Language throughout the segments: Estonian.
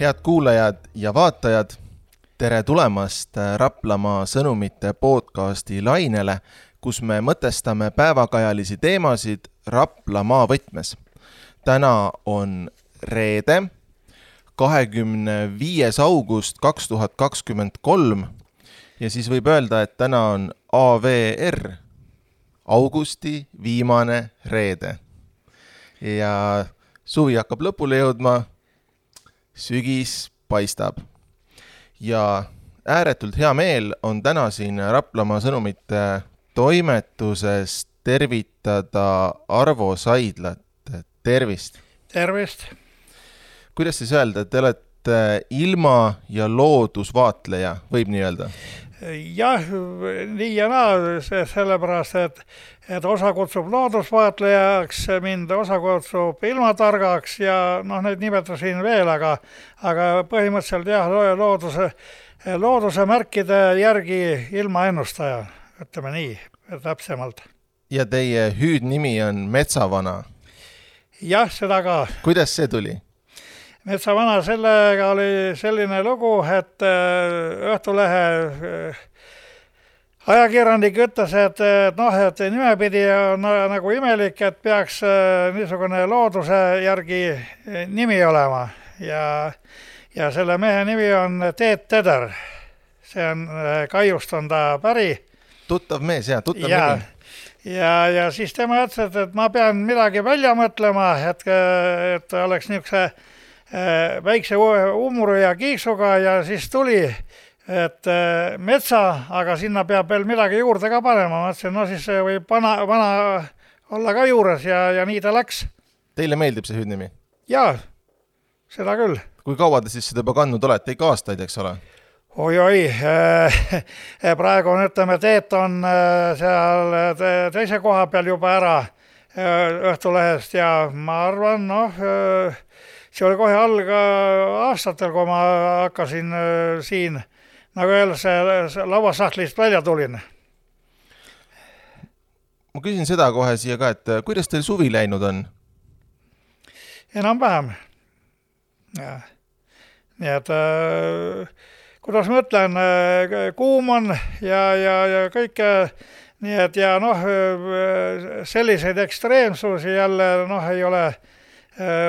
Head kuulajad ja vaatajad, tere tulemast Raplamaa sõnumite podcasti lainele, kus me mõtestame päevakajalisi teemasid Raplamaa võtmes. Täna on reede, 25. august 2023 ja siis võib öelda, et täna on AVR, augusti viimane reede. Ja suvi hakkab lõpule jõudma, sügis paistab. Ja ääretult hea meel on täna siin Raplamaa sõnumite toimetuses tervitada Arvo Saidlat. Tervist! Tervist! Kuidas siis öelda, et te olete ilma- ja loodusvaatleja, võib nii öelda? Jah, nii ja naa, sellepärast, et osa kutsub loodusvaatlejaks, mind osa kutsub ilmatargaks ja neid nimetasin veel, aga põhimõtteliselt jah, looduse märkide järgi ilmaennustaja, ütleme nii, täpsemalt. Ja teie hüüdnimi on Metsavana. Jah, seda ka. Kuidas see tuli? Metsavana, sellega oli selline lugu, et Õhtulehe ajakirjanik ütles, et nimepidi on nagu imelik, et peaks niisugune looduse järgi nimi olema. Ja selle mehe nimi on Teet Teder. See on Kaiust on ta päri. Tuttav mees, jah, tuttav nimi. Ja siis tema ütles, et ma pean midagi välja mõtlema, et oleks niisuguse väikse umru ja kiiksuga ja siis tuli, et metsa, aga sinna peab veel midagi juurde ka panema. Ma ütlesin, siis võib vana olla ka juures ja nii ta läks. Teile meeldib see hüüdnimi? Jaa, seda küll. Kui kaua te siis seda juba kandnud olete? Ikka aastaid, eks ole? Oi, praegu on, ütleme, Teet on seal teise koha peal juba ära Õhtulehest ja ma arvan, see oli kohe aastatel, kui ma hakkasin siin, nagu öeldakse, lauasahtlist välja tulin. Ma küsin seda kohe siia ka, et kuidas teil suvi läinud on? Enam vähem. Nii et kuidas ma ütlen, kuum on ja kõik, nii et ja selliseid ekstreemsusi jälle ei ole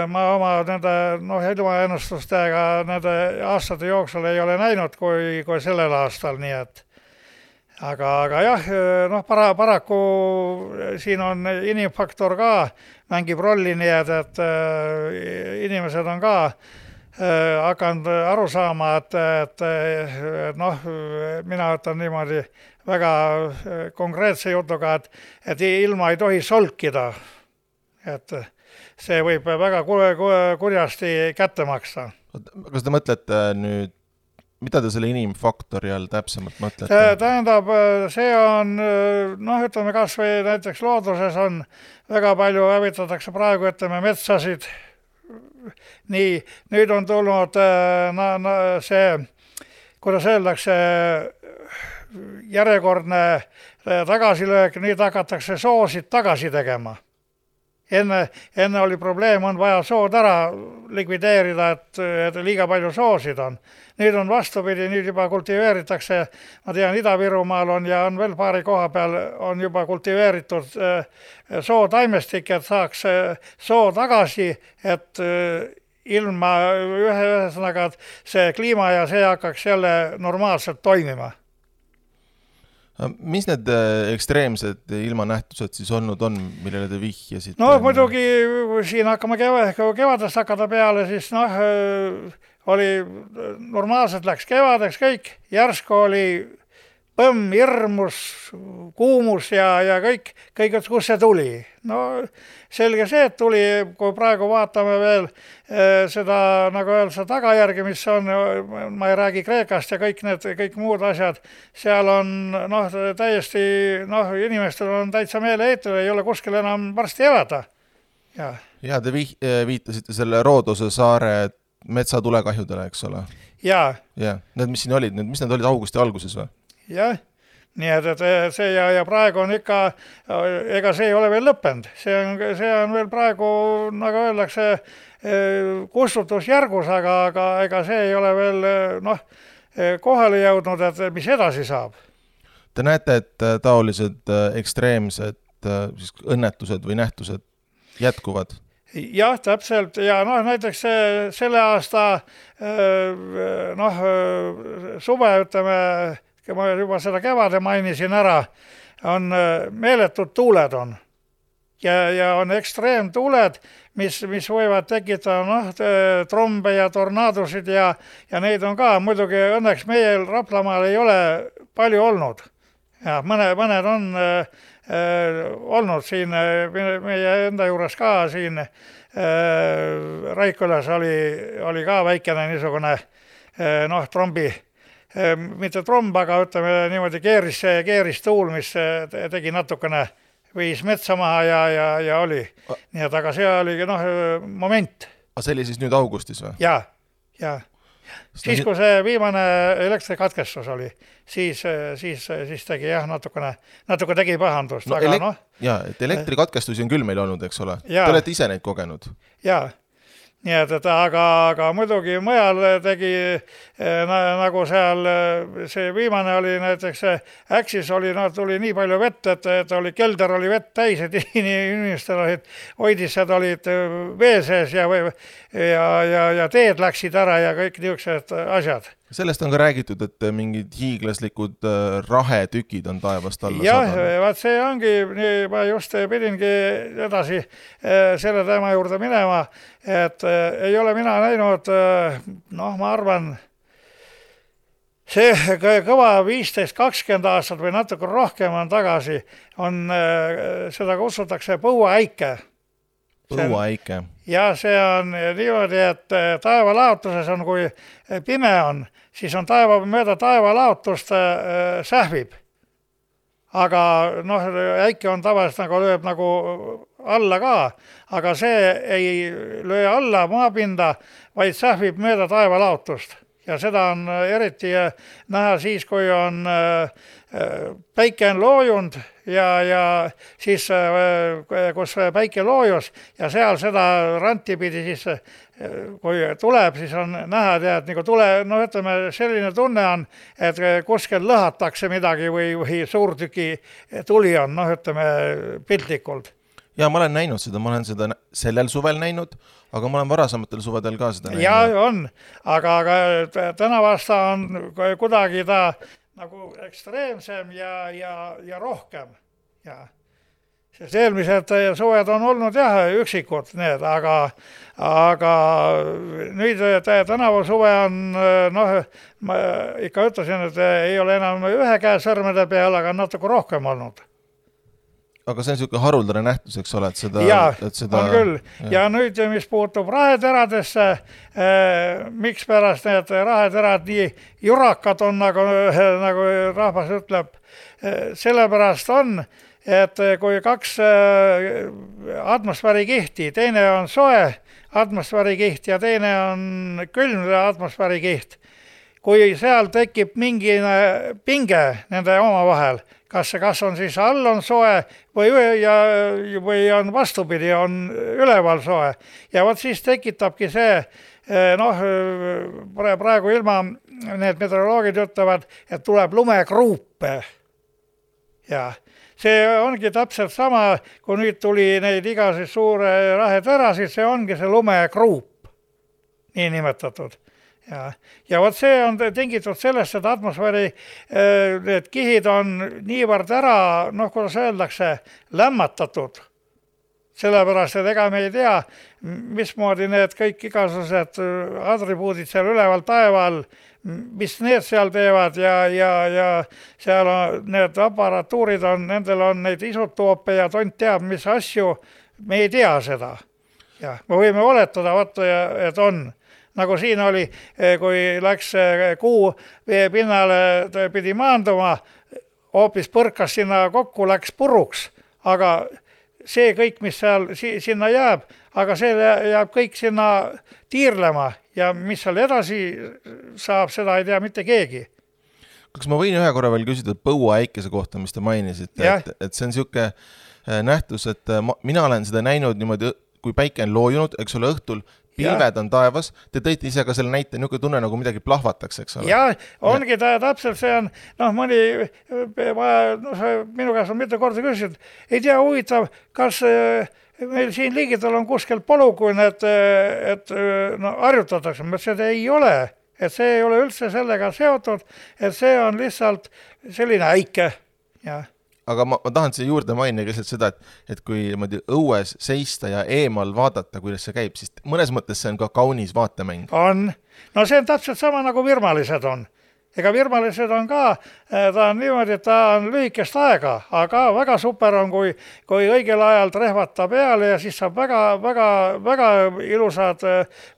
ma oma nende ilmaennustustega nende aastate jooksul ei ole näinud kui sellel aastal, nii et aga jah, paraku siin on inimfaktor ka mängib rolli, nii et inimesed on ka hakanud aru saama, et mina ütlen niimoodi väga konkreetse jutuga, et ilma ei tohi solkida. Et see võib väga kurjasti kätte maksta. Kas te mõtlete nüüd, mida te selle inimfaktori all täpsemalt mõtlete? Tähendab, see on, ütleme kas või näiteks looduses on väga palju hävitatakse praegu, ütleme metsasid. Nii, nüüd on tulnud see, kuidas öeldakse, järjekordne tagasilöök, nüüd hakatakse soosid tagasi tegema. Enne oli probleem, on vaja sood ära likvideerida, et liiga palju soosid on. Nüüd on vastupidi, nüüd juba kultiveeritakse, ma tean, Ida-Virumaal on ja on veel paari koha peal on juba kultiveeritud sootaimestik, et saaks soo tagasi, et ilma ühesõnaga, et see kliima ja see hakkaks jälle normaalselt toimima. Mis need ekstreemsed ilmanähtused siis olnud on, millele te vihjasid? Muidugi siin hakkame kevadest hakata peale, siis oli normaalselt läks kevadeks kõik, järsku oli põmm, hirmus, kuumus ja kõik, kus see tuli. Selge see, et tuli, kui praegu vaatame veel seda, nagu öeldakse, tagajärgi, mis on, ma ei räägi Kreekast ja kõik muud asjad, seal on täiesti, inimestel on täitsa meeleheitel, ei ole kuskil enam varsti elada. Ja te viitasite selle Roodose saare metsatulekahjudele, eks ole? Jaa. Need, mis siin olid, mis need olid augusti alguses või? Jah, nii et see ja praegu on ikka, ega see ei ole veel lõppenud, see on veel praegu, nagu öeldakse, kustutusjärgus, aga ega see ei ole veel kohale jõudnud, et mis edasi saab. Te näete, et taolised ekstreemsed siis õnnetused või nähtused jätkuvad? Jah, täpselt ja näiteks selle aasta suve, ütleme, ma juba seda kevade mainisin ära, on meeletud tuuled on ja on ekstreemtuuled, mis võivad tekitada trombe ja tornaadosid ja neid on ka, muidugi õnneks meie Raplamaal ei ole palju olnud. Ja mõned on olnud siin meie enda juures ka siin Raikülas oli ka väikene niisugune trombi, mitte tromb, aga ütleme niimoodi keeristuul, mis tegi natukene, viis metsa maha ja oli. Nii et aga see oligi moment. Aga see oli siis nüüd augustis või? Ja. Siis, kui see viimane elektrikatkestus oli, siis tegi natuke tegi pahandust. Et elektrikatkestusi on küll meil olnud, eks ole? Te olete ise neid kogenud? Jaa. Nii et aga muidugi mujal tegi nagu seal, see viimane oli näiteks Äksis tuli nii palju vett, et kelder oli vett täis, et inimestel hoidised olid vee sees ja teed läksid ära ja kõik niisugused asjad. Sellest on ka räägitud, et mingid hiiglaslikud rahetükid on taevast alla saadanud. Vaat see ongi, ma just pidingi edasi selle teema juurde minema, et ei ole mina näinud, ma arvan, see kõva 15-20 aastat või natuke rohkem on tagasi, seda kutsutakse põuaäike. Põuaäike. Ja see on niimoodi, et taevalaotuses on, kui pime on, siis on mööda taevalaotust sähvib. Aga äike on tavaliselt nagu lööb nagu alla ka, aga see ei löö alla maapinda, vaid sähvib mööda taevalaotust. Ja seda on eriti näha siis, kui on päike on loojunud ja siis, kus päike loojus ja seal seda ranti pidi siis, kui tuleb, siis on näha, et nagu ütleme, selline tunne on, et kuskil lõhatakse midagi või suurtüki tuli on, ütleme, piltlikult. Ja ma olen näinud seda, ma olen seda sellel suvel näinud, aga ma olen varasematel suvedel ka seda näinud. Ja on, aga tänavasta on kuidagi ta nagu ekstreemsem ja rohkem. Ja. Sest eelmised suved on olnud üksikud need, aga nüüd tänavu suve on, ma ikka ütlesin, et ei ole enam ühe käe sõrmede peal, aga natuke rohkem olnud. Aga see on niisugune haruldane nähtus, eks ole, et seda... on küll. Ja nüüd, mis puutub raheteradesse, miks pärast need raheterad nii jurakad on, nagu rahvas ütleb, sellepärast on, et kui kaks atmosfäärikihti, teine on soe atmosfäärikiht ja teine on külm atmosfäärikiht, kui seal tekib mingi pinge nende omavahel, kas on siis all on soe või on vastupidi, on üleval soe. Ja vot siis tekitabki see, praegu ilma need meteoroloogid ütlevad, et tuleb lumekruupe. Ja see ongi täpselt sama, kui nüüd tuli neid igasid suure raheterasid, see ongi see lumekruup, nii nimetatud. Ja vot see on tingitud sellest, et atmosfääri need kihid on niivõrd ära, kuidas öeldakse, lämmatatud. Sellepärast, et ega me ei tea, mismoodi need kõik igasugused atribuudid seal üleval taeval, mis need seal teevad ja seal on need aparatuurid on, nendel on neid isotoope ja tont teab, mis asju, me ei tea seda. Ja me võime oletada, et on. Nagu siin oli, kui läks kuu vee pinnale pidi maanduma, hoopis põrkas sinna kokku, läks puruks, aga see kõik, mis seal sinna jääb, aga see jääb kõik sinna tiirlema ja mis seal edasi saab, seda ei tea mitte keegi. kas ma võin ühe korra veel küsida põuaäikese kohta, mis te mainisite, et see on siuke nähtus, et mina olen seda näinud niimoodi, kui päike on loojunud, eks ole, õhtul, pilved on taevas, te tõite ise ka selle näite, niisugune tunne nagu midagi plahvatakse, eks ole? Jah, ongi täpselt see on, mõni, minu käest on mitu korda küsinud, ei tea, huvitav, kas meil siin liigidel on kuskil polukun, et harjutatakse, ma ütlesin, et ei ole, et see ei ole üldse sellega seotud, et see on lihtsalt selline äike, jah. Aga ma tahan siia juurde mainida lihtsalt seda, et kui õues seista ja eemal vaadata, kuidas see käib, siis mõnes mõttes see on ka kaunis vaatemäng. On. No see on täpselt sama nagu virmalised on. Ega virmalised on ka, ta on niimoodi, et ta on lühikest aega, aga väga super on, kui õigel ajal trehvata peale ja siis saab väga ilusad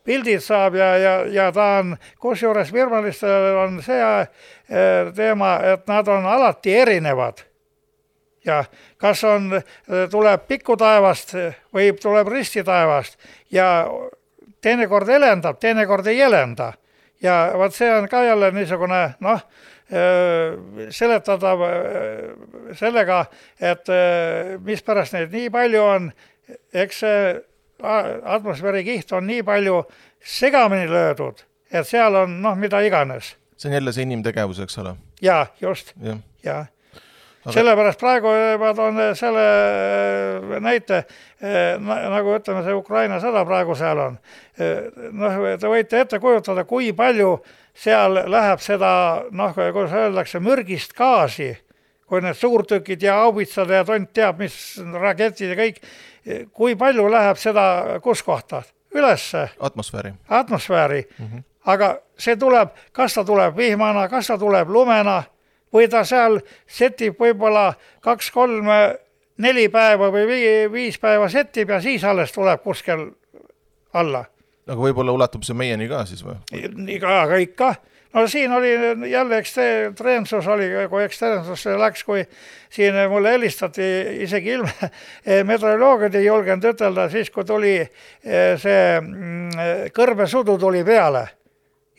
pildid saab ja ta on, kusjuures virmalistel on see teema, et nad on alati erinevad. Ja kas tuleb pikku taevast või tuleb risti taevast ja teinekord elendab, teinekord ei elenda. Ja vaat see on ka jälle niisugune, seletatav sellega, et mispärast neid nii palju on, eks see atmosfäärikiht on nii palju segamini löödud, et seal on mida iganes. See on jälle see inimtegevus, eks ole? Jaa, just. Ja. Sellepärast praegu ma toon selle näite, nagu ütleme, see Ukraina sõda praegu seal on. Te võite ette kujutada, kui palju seal läheb seda, kuidas öeldakse, mürgist gaasi, kui need suurtükid ja haubitsad ja tont teab, mis raketid ja kõik, kui palju läheb seda kus kohta? Ülesse. Atmosfääri. Aga see tuleb, kas ta tuleb vihmana, kas ta tuleb lumena, või ta seal setib võib-olla 2, 3, 4 päeva või 5 päeva setib ja siis alles tuleb kuskil alla. Aga võib-olla ulatub see meieni ka siis või? Aga ikka. No siin oli jälle ekstreemsus oli, kui ekstreemsus läks, kui siin mulle helistati isegi meteoroloogid ei julgenud ütelda, siis kui tuli see kõrbesudu tuli peale.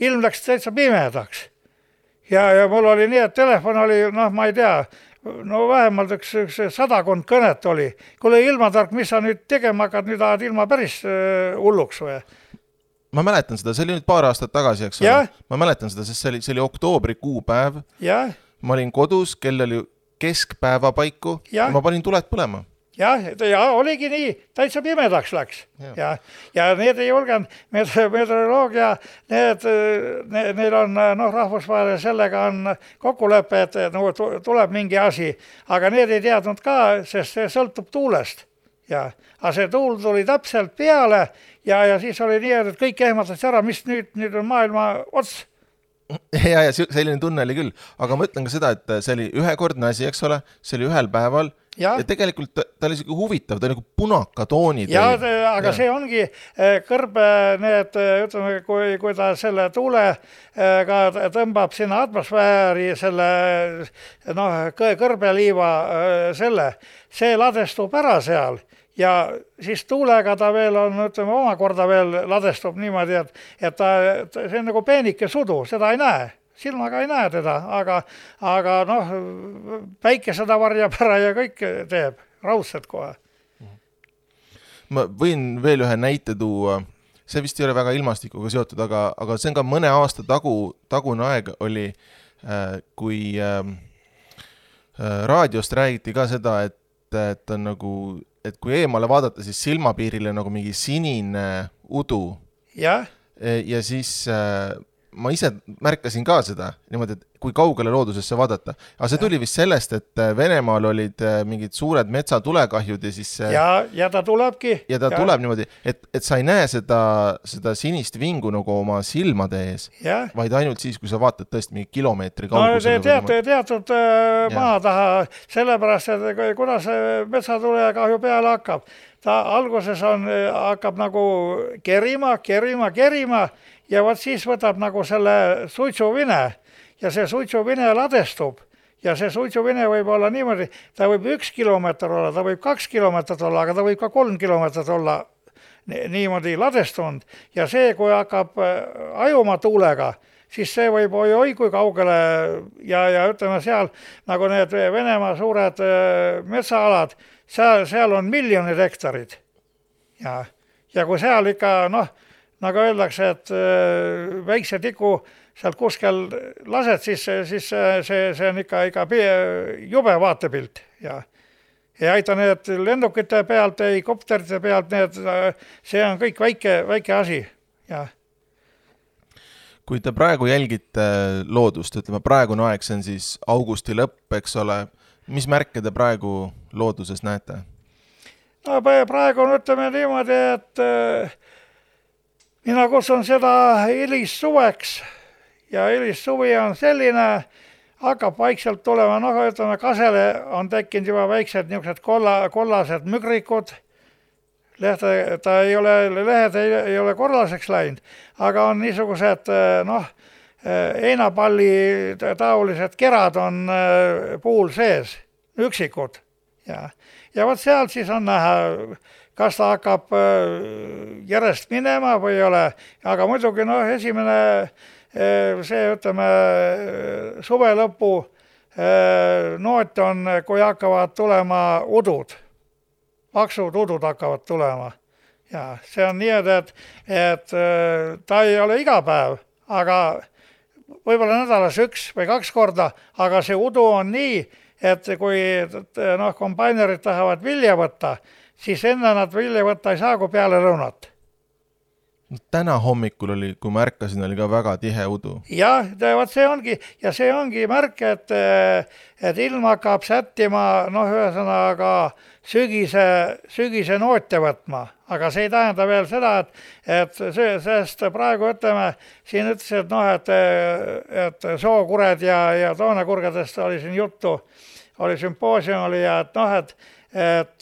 Ilm läks täitsa pimedaks. Ja mul oli nii, et telefon oli, ma ei tea, vähemalt üks 100 kõnet oli. Kuule ilmatark, mis sa nüüd tegema hakkad, nüüd ajad ilma päris hulluks või? Ma mäletan seda, see oli nüüd paar aastat tagasi, eks ole? Ma mäletan seda, sest see oli oktoobrikuu päev. Ma olin kodus, kell oli keskpäeva paiku ja ma panin tuled põlema. Ja oligi nii, täitsa pimedaks läks. Ja need ei julgenud, meteoroloogia, neil on rahvusvahel sellega on kokkulepe, et tuleb mingi asi, aga need ei teadnud ka, sest see sõltub tuulest. Aga see tuul tuli täpselt peale ja siis oli nii, et kõik ehmatas ära, mis nüüd on maailma ots. Ja selline tunne oli küll, aga ma ütlen ka seda, et see oli ühekordne asi, eks ole, see oli ühel päeval. Ja tegelikult ta oli siuke huvitav, ta oli nagu punakatoonid. Aga see ongi kõrbe, ütleme, kui ta selle tuule ka tõmbab sinna atmosfääri selle kõrbeliiva see ladestub ära seal ja siis tuulega ta veel on, ütleme, omakorda veel ladestub niimoodi, et see on nagu peenike sudu, seda ei näe. Silmaga ei näe teda, aga päike seda varjab ära ja kõik teeb, raudselt kohe. Ma võin veel ühe näite tuua, see vist ei ole väga ilmastikuga seotud, aga see on ka mõne aasta tagune aeg oli, kui raadiost räägiti ka seda, et on nagu, et kui eemale vaadata, siis silmapiirile nagu mingi sinine udu. Ja siis ma ise märkasin ka seda, niimoodi, et kui kaugele loodusesse vaadata. Aga see tuli vist sellest, et Venemaal olid mingid suured metsatulekahjud ja siis... Ja ta tulebki. Ja ta tuleb niimoodi, et sa ei näe seda sinist vingu nagu oma silmade ees, vaid ainult siis, kui sa vaatad tõesti mingi kilomeetri kaugusele. Teatud maa taha, sellepärast, et kuidas metsatulekahju peale hakkab. Ta alguses hakkab nagu kerima ja vaat siis võtab nagu selle suitsuvine ja see suitsuvine ladestub ja see suitsuvine võib olla niimoodi, ta võib 1 kilomeeter olla, ta võib 2 kilomeetrit olla, aga ta võib ka 3 kilomeetrit olla niimoodi ladestunud ja see, kui hakkab ajuma tuulega, siis see võib oi kui kaugele ja ütleme seal, nagu need Venemaa suured metsaalad, seal on miljonid hektarid. Ja kui seal ikka, nagu öeldakse, et väikse tiku sealt kuskil lased, siis see on ikka jube vaatepilt. Ja ei aita need lennukite pealt, ei kopterite pealt, see on kõik väike asi. Ja. Kui te praegu jälgite loodust, ütleme praegune aeg, see on siis augusti lõpp, eks ole, mis märke te praegu looduses näete? No praegu on, ütleme niimoodi, et mina kutsun seda hilissuveks ja hilissuvi on selline, hakkab vaikselt tulema, ütleme kasele on tekkinud juba väiksed niisugused kollased mügrikud, lehed ei ole korraseks läinud, aga on niisugused heinapalli taolised kerad on puul sees, üksikud. Ja vot sealt siis on näha, kas ta hakkab järjest minema või ei ole, aga muidugi esimene see, ütleme, suve lõpu noot on, kui hakkavad tulema udud, paksud udud hakkavad tulema. Ja see on nii, et ta ei ole iga päev, aga võib-olla nädalas 1 või 2 korda, aga see udu on nii, et kui kombainerid tahavad vilja võtta, siis enne nad vilja võtta ei saa, kui peale lõunat. Täna hommikul oli, kui ma ärkasin, oli ka väga tihe udu. Jah, vot see ongi märk, et ilm hakkab sättima, ühesõnaga sügise noote võtma. Aga see ei tähenda veel seda, et sest praegu ütleme, siin ütlesid, et sookured ja toonekurgedest oli siin juttu, oli sümpoosium oli ja et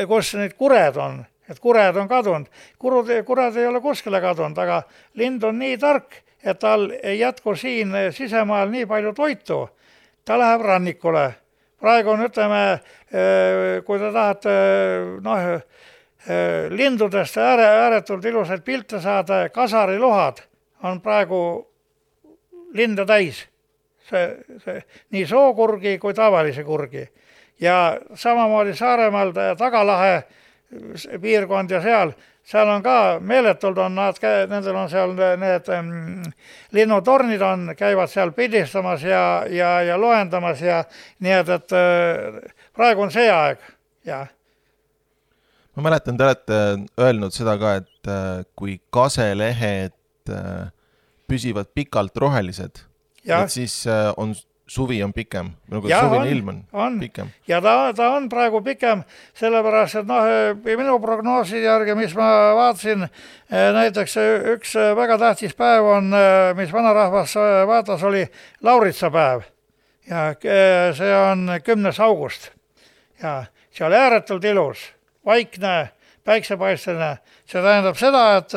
kus need kured on, et kured on kadunud. Kured ei ole kuskile kadunud, aga lind on nii tark, et tal ei jätku siin sisemaal nii palju toitu. Ta läheb rannikule. Praegu on, ütleme, kui te tahate lindudest ääretult ilusaid pilte saada, kasarilohad on praegu linde täis. See, nii sookurgi kui tavalise kurgi. Ja samamoodi Saaremaal Tagalahe piirkond ja seal on ka meeletult nendel on seal need linnutornid käivad seal pildistamas ja loendamas ja nii, et praegu on see aeg. Ja. Ma mäletan, te olete öelnud seda ka, et kui kaselehed püsivad pikalt rohelised, et siis suvi on pikem, suvine ilm on pikem. Ja ta on praegu pikem, sellepärast, et minu prognoosi järgi, mis ma vaatasin, näiteks üks väga tähtis päev on, mis vanarahvas vaatas, oli lauritsapäev. Ja see on 10. august. Ja see oli ääretult ilus, vaikne, päiksepaisteline. See tähendab seda, et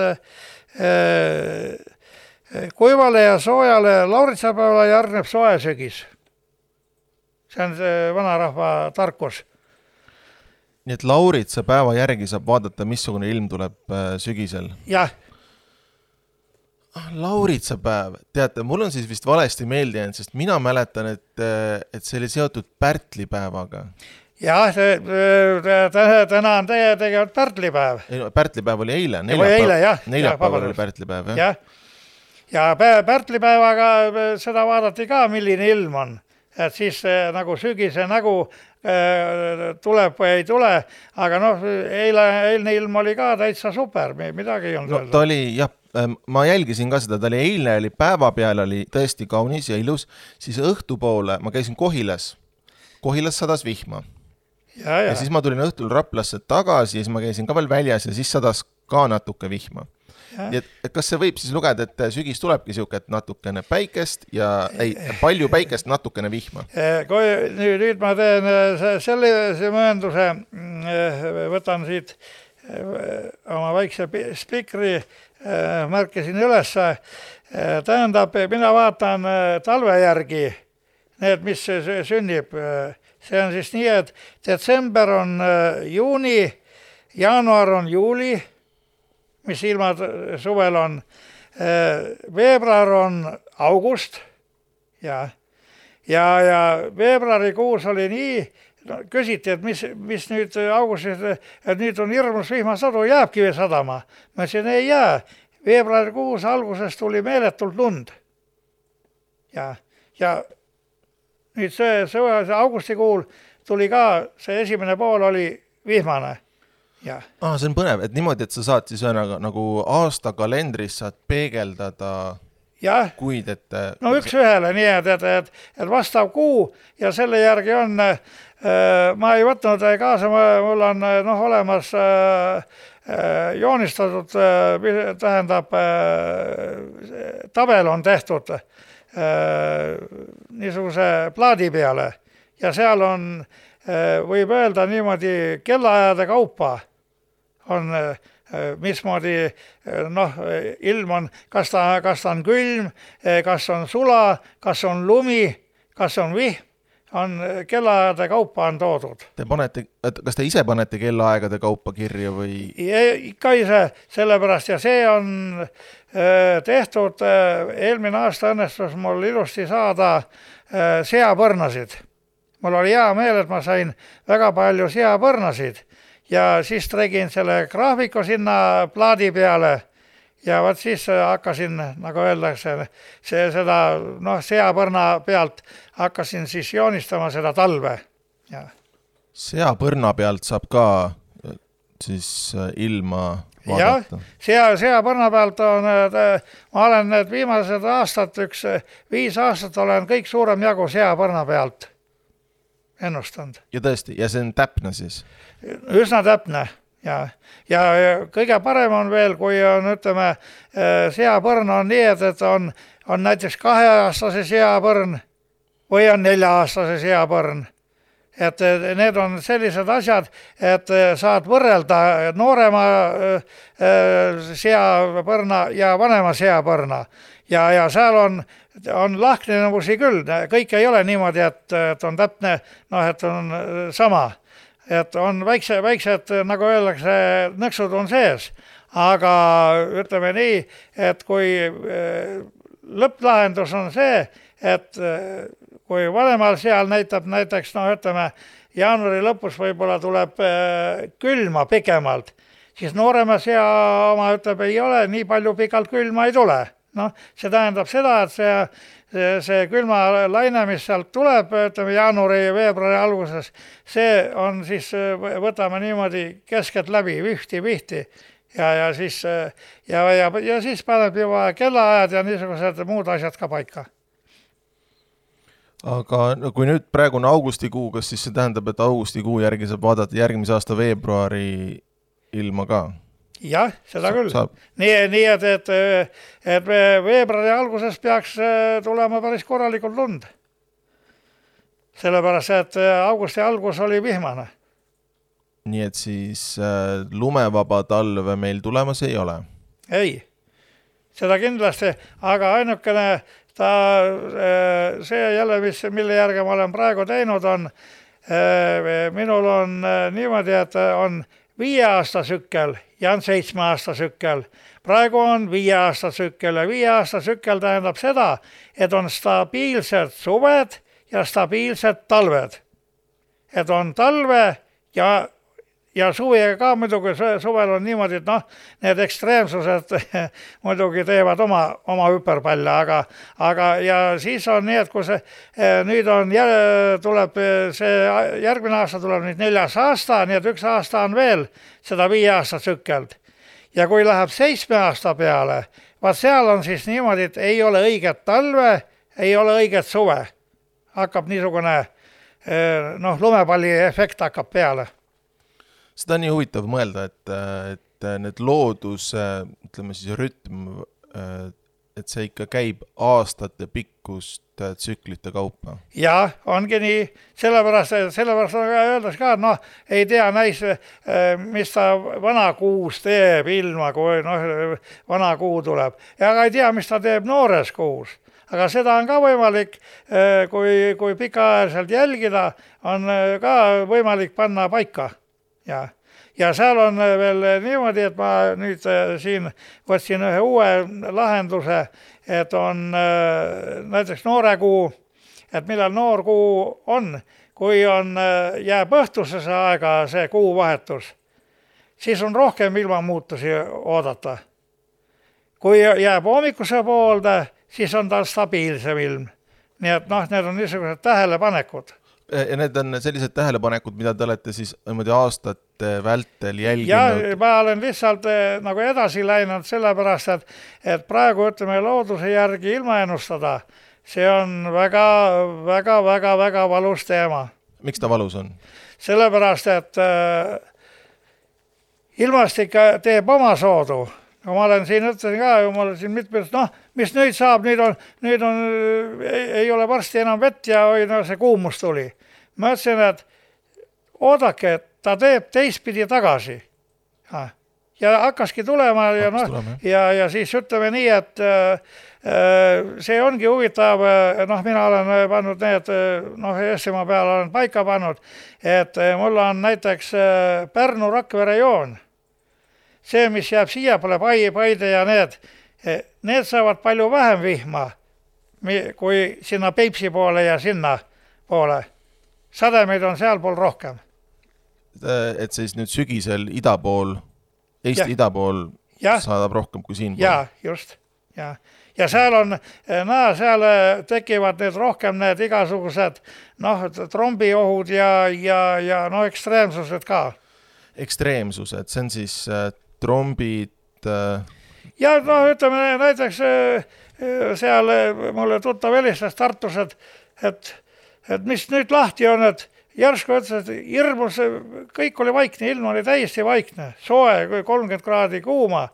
kuivale ja soojale lauritsapäevale järgneb soe sügis. See on see vanarahva tarkus. Nii et lauritsapäeva järgi saab vaadata, missugune ilm tuleb sügisel? Jah. Lauritsapäev, teate, mul on siis vist valesti meeldinud, sest mina mäletan, et see oli seotud pärtlipäevaga. Jah, täna on tegelikult pärtlipäev. Pärtlipäev oli eile, neljapäeval oli pärtlipäev, jah? Ja pärtlipäevaga seda vaadati ka, milline ilm on. Et siis nagu sügise nägu tuleb või ei tule, aga eilne ilm oli ka täitsa super, midagi ei olnud. No, ta oli, jah, ma jälgisin ka seda, ta oli eilne, oli päeva peal, oli tõesti kaunis ja ilus, siis õhtupoole, ma käisin Kohilas sadas vihma. Ja siis ma tulin õhtul Raplasse tagasi ja siis ma käisin ka veel väljas ja siis sadas ka natuke vihma. Nii et kas see võib siis lugeda, et sügis tulebki siuke, et natukene päikest ja palju päikest, natukene vihma? Nüüd ma teen sellise möönduse, võtan siit oma väikse spikri, märkisin üles. Tähendab, mina vaatan talve järgi need, mis sünnib. See on siis nii, et detsember on juuni, jaanuar on juuli, mis ilmad suvel on. veebruar on august ja veebruarikuus oli nii, küsiti, et mis nüüd augustis, et nüüd on hirmus vihmasadu, jääbki veel sadama. Ma ütlesin, ei jää. Veebruarikuus alguses tuli meeletult lund. Ja nüüd see augustikuul tuli ka, see esimene pool oli vihmane. Ja. See on põnev, et niimoodi, et sa saad siis nagu aasta kalendris saad peegeldada kuid, et... No üks ühele, nii et vastav kuu ja selle järgi on, ma ei võtnud kaasa, mul on olemas joonistatud, tähendab, tabel on tehtud niisuguse plaadi peale ja seal on, võib öelda niimoodi, kellaajade kaupa on mismoodi ilm on, kas ta on külm, kas on sula, kas on lumi, kas on vihm, on kellaajade kaupa on toodud. Kas te ise panete kellaaegade kaupa kirja või? Ikka ise, sellepärast ja see on tehtud, eelmine aasta õnnestus mul ilusti saada seapõrnasid. Mul oli hea meel, et ma sain väga palju seapõrnasid. Ja siis tegin selle graafiku sinna plaadi peale ja võt siis hakkasin, nagu öeldakse, seda seapõrna pealt hakkasin siis joonistama seda talve. Ja. Seapõrna pealt saab ka siis ilma vaadata? Jah, seapõrna pealt on, ma olen need viimased aastad, 5 aastat olen kõik suurem jagu seapõrna pealt ennustanud. Ja tõesti, ja see on täpne siis? Üsna täpne ja kõige parem on veel, kui on, ütleme, seapõrn on nii, et on näiteks 2-aastase seapõrn või on 4-aastase seapõrn. Et need on sellised asjad, et saad võrrelda noorema seapõrna ja vanema seapõrna. Ja seal on lahknevusi küll, kõik ei ole niimoodi, et on täpne, et on sama. Et on väiksed, nagu öeldakse, nõksud on sees, aga ütleme nii, et kui lõpplahendus on see, et kui vanemal seal näitab näiteks, ütleme, jaanuari lõpus võib-olla tuleb külma pikemalt, siis noorema sea oma ütleb, ei ole, nii palju pikalt külma ei tule. See tähendab seda, et see külma laine, mis sealt tuleb, ütleme jaanuari ja veebruari alguses, see on siis, võtame niimoodi keskelt läbi, vihti ja siis paneb juba kellaajad ja niisugused muud asjad ka paika. Aga kui nüüd praegune augustikuu, kas siis see tähendab, et augustikuu järgi saab vaadata järgmise aasta veebruari ilma ka? Jah, seda küll. Nii, et veebruari alguses peaks tulema päris korralikult lund. Sellepärast, et augusti algus oli vihmane. Nii, et siis lumevaba talve meil tulemas ei ole? Ei, seda kindlasti, aga ainukene see jälle, mille järgi ma olen praegu teinud, on minul on niimoodi, et on 5 aasta sükkel ja on 7 aasta sükkel. Praegu on 5 aasta sükkel ja 5 aasta sükkel tähendab seda, et on stabiilsed suved ja stabiilsed talved. Et on talve ja suvega ka muidugi suvel on niimoodi, et need ekstreemsused muidugi teevad oma hüperpalle, aga ja siis on nii, et kui nüüd tuleb see järgmine aasta tuleb nüüd 4. aasta, nii et 1 aasta on veel seda 5 aasta tsükkeld. Ja kui läheb 7 aasta peale, vaat seal on siis niimoodi, et ei ole õiget talve, ei ole õiget suve. Hakkab niisugune lumepalli efekt hakkab peale. Seda on nii huvitav mõelda, et need loodus, ütleme siis rütm, et see ikka käib aastate pikkust tsüklite kaupa. Ja, ongi nii. Sellepärast öeldes ka, et ei tea näis, mis ta vana kuus teeb ilma, kui vana kuu tuleb. Ja ei tea, mis ta teeb noores kuus. Aga seda on ka võimalik, kui pikaajaliselt jälgida, on ka võimalik panna paika. ja seal on veel niimoodi, et ma nüüd siin võtsin ühe uue lahenduse, et on näiteks noorekuu, et millal noorkuu on, kui jääb õhtusesse aega see kuuvahetus, siis on rohkem ilmamuutusi oodata. Kui jääb hommikuse poolde, siis on tal stabiilsem ilm. Nii et need on niisugused tähelepanekud. Ja need on sellised tähelepanekud, mida te olete siis aastate vältel jälginud? Ja ma olen lihtsalt nagu edasi läinud sellepärast, et praegu ütleme looduse järgi ilma ennustada, see on väga valus teema. Miks ta valus on? Sellepärast, et ilmastik teeb oma soodu. Ma olen siin ütlesin ka, ma olen siin mitmes, mis nüüd saab, nüüd on, ei ole varsti enam vett ja see kuumus tuli. Ma ütlesin, et oodake, et ta teeb teistpidi tagasi. Ja hakkaski tulema ja siis ütleme nii, et see ongi huvitav, mina olen pannud need, Eestimaa peal olen paika pannud, et mul on näiteks Pärnu Rakvere joon. See, mis jääb siia pole Paide ja need saavad palju vähem vihma, kui sinna Peipsi poole ja sinna poole. Sademeid on seal pool rohkem. Et siis nüüd sügisel Eesti idapool saadab rohkem kui siin pool? Ja, just. Ja seal on, seal tekivad need rohkem need igasugused trombiohud ja ekstreemsused ka. Ekstreemsused, see on siis trombid? Ja ütleme näiteks seal mulle tuttav helistas Tartus, et mis nüüd lahti on, et järsku ütles, et hirmus, kõik oli vaikne, ilm oli täiesti vaikne, soe, 30 kraadi kuuma.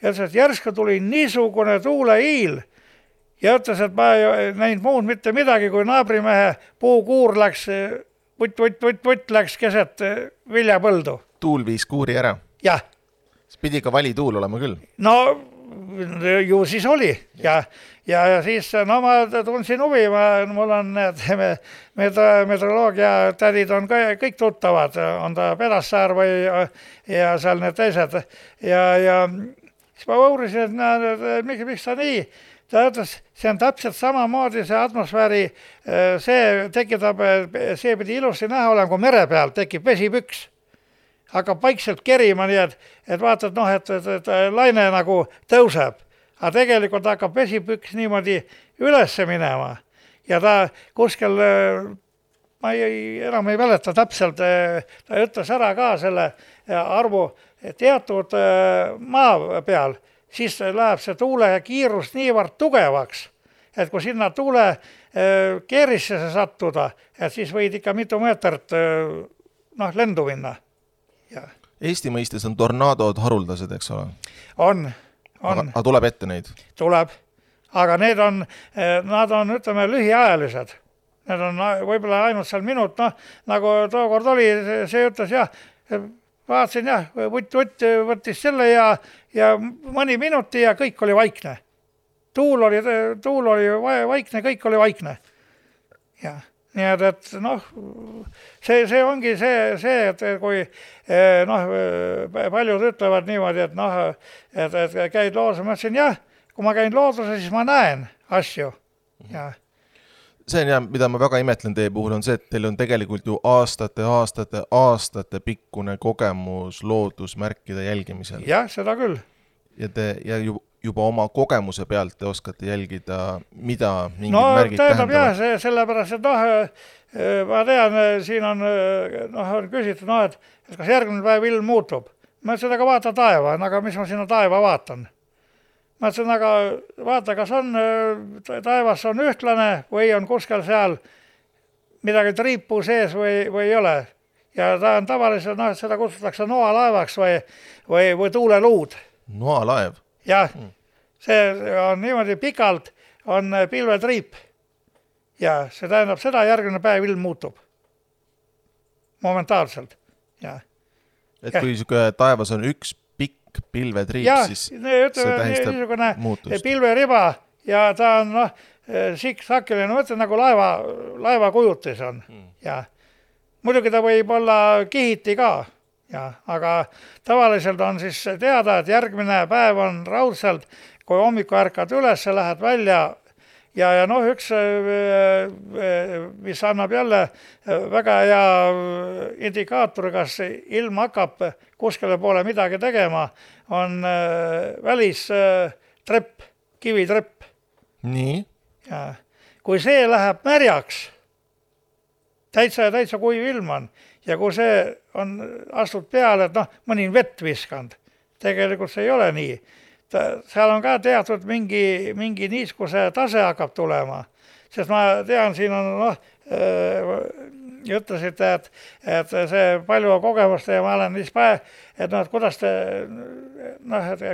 Ja ütles, et järsku tuli niisugune tuuleiil ja ütles, et ma ei näinud muud mitte midagi, kui naabrimehe puukuur läks, vutt läks keset viljapõldu. Tuul viis kuuri ära? Jah. Pidi ka vali tuul olema küll? No ju siis oli ja siis ma tundsin huvi, mul on meteoroloogia tädid on kõik tuttavad, on ta Pedassaar ja seal need teised ja siis ma uurisin, et miks ta nii, ta ütles, see on täpselt samamoodi see atmosfääri, see tekitab, see pidi ilusti näha olema, kui mere peal tekib vesipüks. Hakkab vaikselt kerima, nii et vaatad, et laine nagu tõuseb. Aga tegelikult hakkab vesipüks niimoodi ülesse minema. Ja ta kuskil, ma enam ei mäleta täpselt, ta ütles ära ka selle arvu teatud maa peal, siis läheb see tuule kiirus niivõrd tugevaks, et kui sinna tuule keerisse sattuda, et siis võid ikka mitu meetrit lendu minna. Eesti mõistes on tornaadod haruldased, eks ole? On. Aga tuleb ette neid? Tuleb, aga nad on, ütleme, lühiajalised. Need on võib-olla ainult seal minut, nagu tookord oli, see ütles, vaatasin, vutt võttis selle ja mõni minuti ja kõik oli vaikne. Tuul oli vaikne, kõik oli vaikne. Jah. Nii et see ongi see, et kui paljud ütlevad niimoodi, et käid looduses, ma ütlesin, kui ma käin looduses, siis ma näen asju. See on mida ma väga imetlen teie puhul on see, et teil on tegelikult ju aastate pikkune kogemus loodusmärkide jälgimisel. Jah, seda küll. Ja juba oma kogemuse pealt te oskate jälgida, mida mingid märgid tähendavad? Sellepärast, et ma tean, siin on küsitud, et kas järgmine päev ilm muutub. Ma ütlesin, aga vaata taeva, aga mis ma sinna taeva vaatan? Ma ütlesin, aga vaata, kas on taevas on ühtlane või on kuskil seal midagi triipu sees või ei ole. Ja ta on tavaliselt, seda kutsutakse noalaevaks või tuuleluud. Noalaev? Jah, see on niimoodi pikalt, on pilvetriip ja see tähendab seda, järgmine päev ilm muutub momentaalselt. Et kui taevas on üks pikk pilvetriip, siis see tähistab muutust. Pilveriba ja ta on siksakiline, mõtlen nagu laeva kujutis on. Ja muidugi ta võib olla kihiti ka, Ja, aga tavaliselt on siis teada, et järgmine päev on raudselt, kui hommiku ärkad üles, lähed välja ja noh, üks, mis annab jälle väga hea indikaator, kas ilm hakkab kuskile poole midagi tegema, on välistrepp, kivitrepp. Nii. Ja kui see läheb märjaks, täitsa kuiv ilm on, ja kui see on astud peale, et noh, mõni vett viskanud, tegelikult see ei ole nii. Seal on ka teatud mingi niiskuse tase hakkab tulema, sest ma tean, siin on, ütlesite, et see palju kogemust ja ma olen et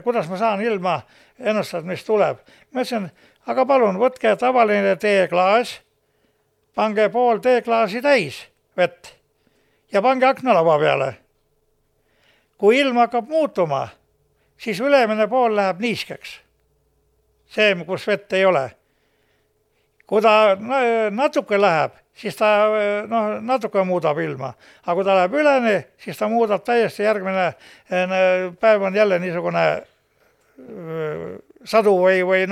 kuidas ma saan ilma ennustada, mis tuleb. Ma ütlesin, aga palun, võtke tavaline teeklaas, pange pool teeklaasi täis vett ja pange aknalava peale. Kui ilm hakkab muutuma, siis ülemine pool läheb niiskeks. See, kus vett ei ole. Kui ta natuke läheb, siis ta natuke muudab ilma. Aga kui ta läheb üleni, siis ta muudab täiesti järgmine päev on jälle niisugune sadu või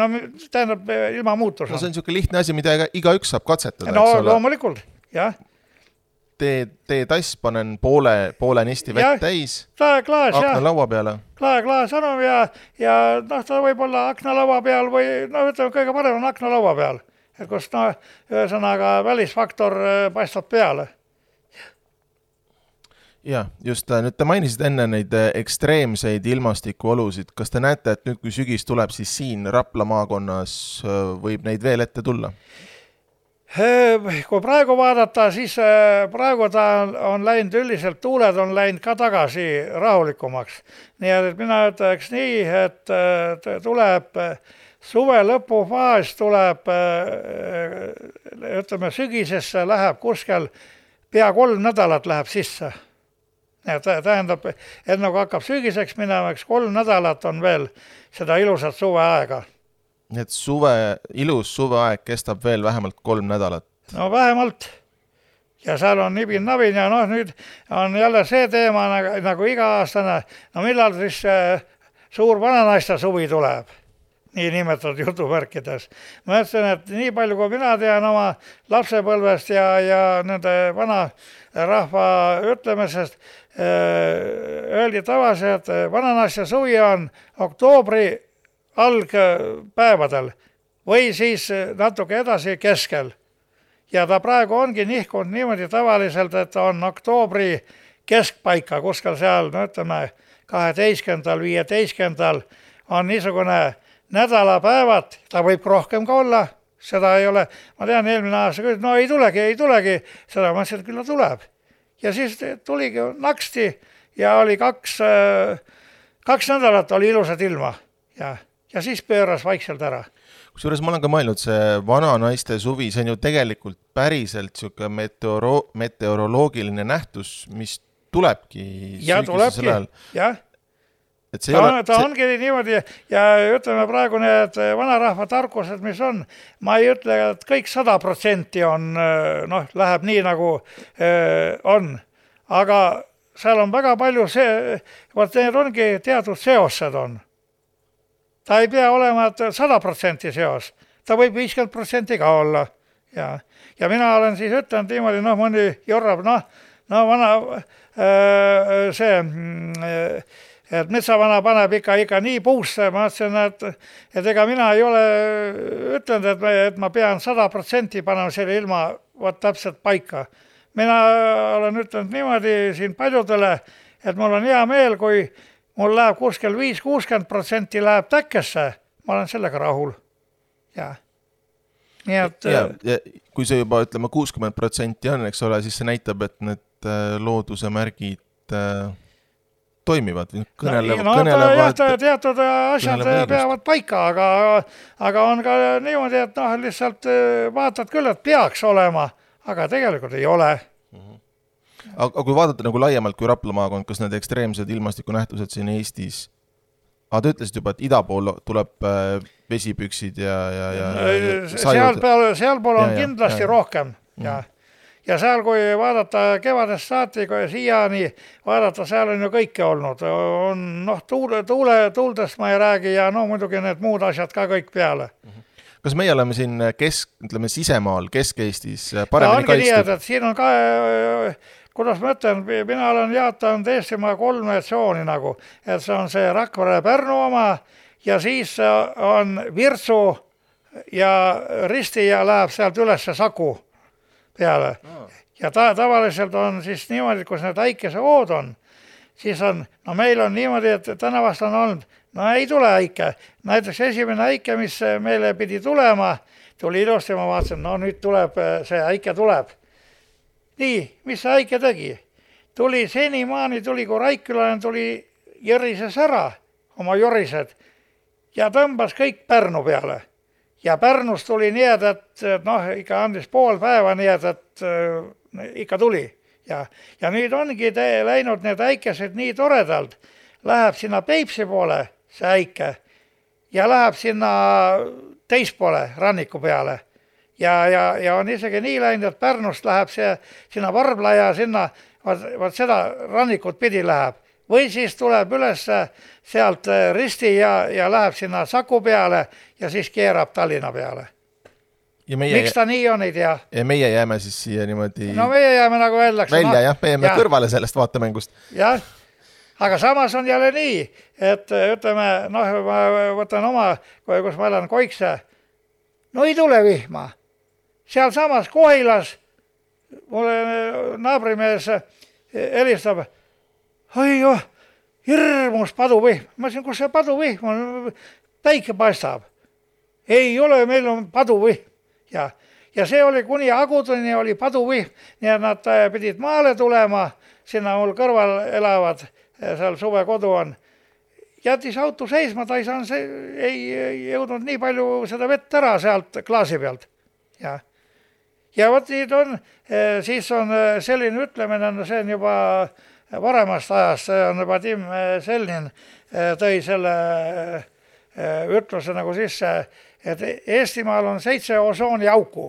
tähendab ilma muutus. No see on niisugune lihtne asi, mida igaüks saab katsetada. No loomulikult, jah. Tee tass, panen poole nisti vett täis, aknalaua peale. Klaas on ja ta võib olla aknalaua peal või ütleme, kõige parem on aknalaua peal. Et kus ühesõnaga välisfaktor paistab peale. Ja, just nüüd te mainisid enne neid ekstreemseid ilmastikuolusid. Kas te näete, et nüüd kui sügis tuleb, siis siin Rapla maakonnas võib neid veel ette tulla? Kui praegu vaadata, siis praegu ta on läinud üldiselt, tuuled on läinud ka tagasi rahulikumaks. Nii et mina ütleks nii, et tuleb suve lõpufaas tuleb, ütleme sügisesse läheb kuskel pea 3 nädalat läheb sisse. Tähendab, et nagu hakkab sügiseks minema, 3 nädalat on veel seda ilusat suveaega. Nii et ilus suveaeg kestab veel vähemalt 3 nädalat. No vähemalt. Ja seal on nibin-nabin ja nüüd on jälle see teema nagu iga-aastane. No millal siis suur vananaiste suvi tuleb? Nii nimetatud jutuvärkides. Ma ütlesin, et nii palju kui mina tean oma lapsepõlvest ja nende vana rahva ütlemisest, öeldi tavaliselt, et vananaiste suvi on oktoobri algpäevadel või siis natuke edasi keskel. Ja ta praegu ongi nihkunud niimoodi tavaliselt, et on oktoobri keskpaika, kuskil seal, ütleme, 12. 15. on niisugune nädalapäevad, ta võib rohkem ka olla, seda ei ole, ma tean eelmine aasta küll, no ei tulegi, seda ma mõtlesin, et küll tuleb. Ja siis tuligi naksti ja oli 2 nädalat oli ilusad ilma ja siis pööras vaikselt ära. Kusjuures ma olen ka mõelnud, see vananaiste suvi, see on ju tegelikult päriselt siuke meteoroloogiline nähtus, mis tulebki sügisesel ajal. Jah. Ta ongi niimoodi ja ütleme praegu need vanarahva tarkused, mis on, ma ei ütle, et kõik 100% on, läheb nii nagu on, aga seal on väga palju need ongi teatud seosed on. Ta ei pea olema 100% seos, ta võib 50% ka olla. Ja mina olen siis ütelnud niimoodi, mõni jorrab, vana et metsavana paneb ikka nii puusse, ma ütlesin, et ega mina ei ole ütlenud, et ma pean 100% panema selle ilma täpselt paika. Mina olen ütelnud niimoodi siin paljudele, et mul on hea meel, kui mul läheb kuskil 5-60% läheb täkkesse, ma olen sellega rahul. Ja. Nii et... Ja kui see juba, ütleme, 60% on, eks ole, siis see näitab, et need looduse märgid toimivad. Teatud asjad peavad paika, aga on ka niimoodi, et lihtsalt vaatad küll, et peaks olema, aga tegelikult ei ole. Aga kui vaadata nagu laiemalt kui Rapla maakond, kas need ekstreemsed ilmastikunähtused siin Eestis, te ütlesid juba, et ida pool tuleb vesipüksid ja sealpool on kindlasti rohkem. ja seal, kui vaadata kevadest saati, kui siiani vaadata, seal on ju kõike olnud. On, noh, tuuldest ma ei räägi ja no muidugi need muud asjad ka kõik peale. Kas meie oleme siin ütleme, sisemaal, Kesk-Eestis paremini kaitstud? Nii, siin on ka, kuidas ma ütlen, mina olen jaatanud Eestimaa 3 tsooni nagu, et see on see Rakvere Pärnu oma ja siis on Virtsu ja Risti ja läheb sealt üles Saku peale. Ja tavaliselt on siis niimoodi, kus need äikesevood on, siis on, no meil on niimoodi, et tänavast on olnud, no ei tule äike. Näiteks esimene äike, mis meile pidi tulema, tuli ilusti, ma vaatasin, no nüüd tuleb, see äike tuleb. Nii, mis see äike tegi? Tuli senimaani, kui Raikkülane tuli jõrises ära, oma jorised, ja tõmbas kõik Pärnu peale. Ja Pärnus tuli nii, et noh, ikka andis pool päeva nii, et ikka tuli. Ja nüüd ongi läinud need äikesed nii toredalt. Läheb sinna Peipsi poole, see äike, ja läheb sinna teispoole ranniku peale. Ja on isegi nii läinud, et Pärnust läheb see sinna Varbla ja sinna, vaat seda rannikut pidi läheb. Või siis tuleb üles sealt Risti ja läheb sinna Saku peale ja siis keerab Tallinna peale. Miks ta nii on, ei tea. Ja meie jääme siis siia niimoodi... No meie jääme nagu välja, jah, me jääme kõrvale sellest vaatemängust. Jah, aga samas on jälle nii, et ütleme, noh, ma võtan oma, kus ma elan Koikse, no ei tule vihma. Seal samas Kohilas mulle naabrimees helistab, oi joh, hirmus paduvihm. Ma ütlesin, kus see paduvihm on? Päike paistab. Ei ole, meil on paduvihm. Ja see oli kuni Agudeni oli paduvihm, nii et nad pidid maale tulema, sinna mul kõrval elavad, seal suvekodu on. Jättis auto seisma, ta ei jõudnud nii palju seda vett ära sealt klaasi pealt. Ja võt nüüd on, siis on selline ütlemine, see on juba varemast ajast, see on Vadim Selnin tõi selle ütluse nagu sisse, et Eestimaal on 7 osooniauku.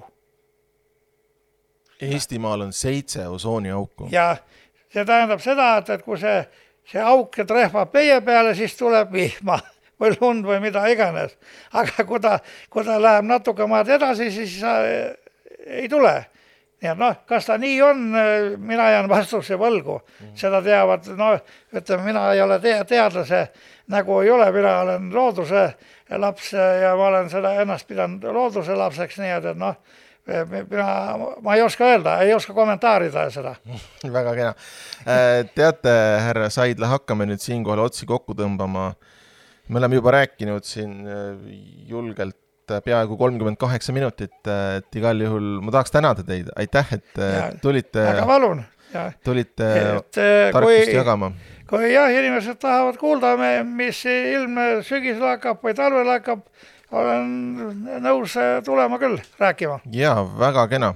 Eestimaal on 7 osooniauku. Ja see tähendab seda, et kui see auk trehvab meie peale, siis tuleb vihma või lund või mida iganes. Aga kui ta läheb natuke maad edasi, siis ei tule. Nii et noh, kas ta nii on, mina jään vastuse võlgu. Seda teavad, ütleme, mina ei ole teadlase, nagu ei ole, mina olen looduse laps ja ma olen seda ennast pidanud looduse lapseks, nii et noh, ma ei oska öelda, ei oska kommentaarida seda. Väga kena. Teate, härra Saidla, hakkame nüüd siinkohal otsi kokku tõmbama. Me oleme juba rääkinud siin julgelt peaaegu 38 minutit, et igal juhul ma tahaks tänada teid. Aitäh, et tulite tarkust jagama. Kui jah, inimesed tahavad kuulda, mis ilm sügisel hakkab või talvel hakkab, olen nõus tulema küll rääkima. Jaa, väga kena.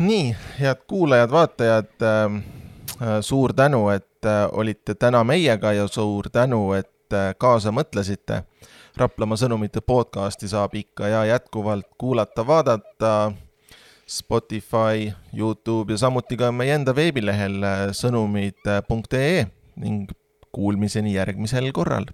Nii, head kuulajad, vaatajad, suur tänu, et olite täna meiega ja suur tänu, et kaasa mõtlesite. Raplamaa sõnumite podcasti saab ikka ja jätkuvalt kuulata, vaadata Spotify, YouTube ja samuti ka meie enda veebilehel sõnumid.ee ning kuulmiseni järgmisel korral.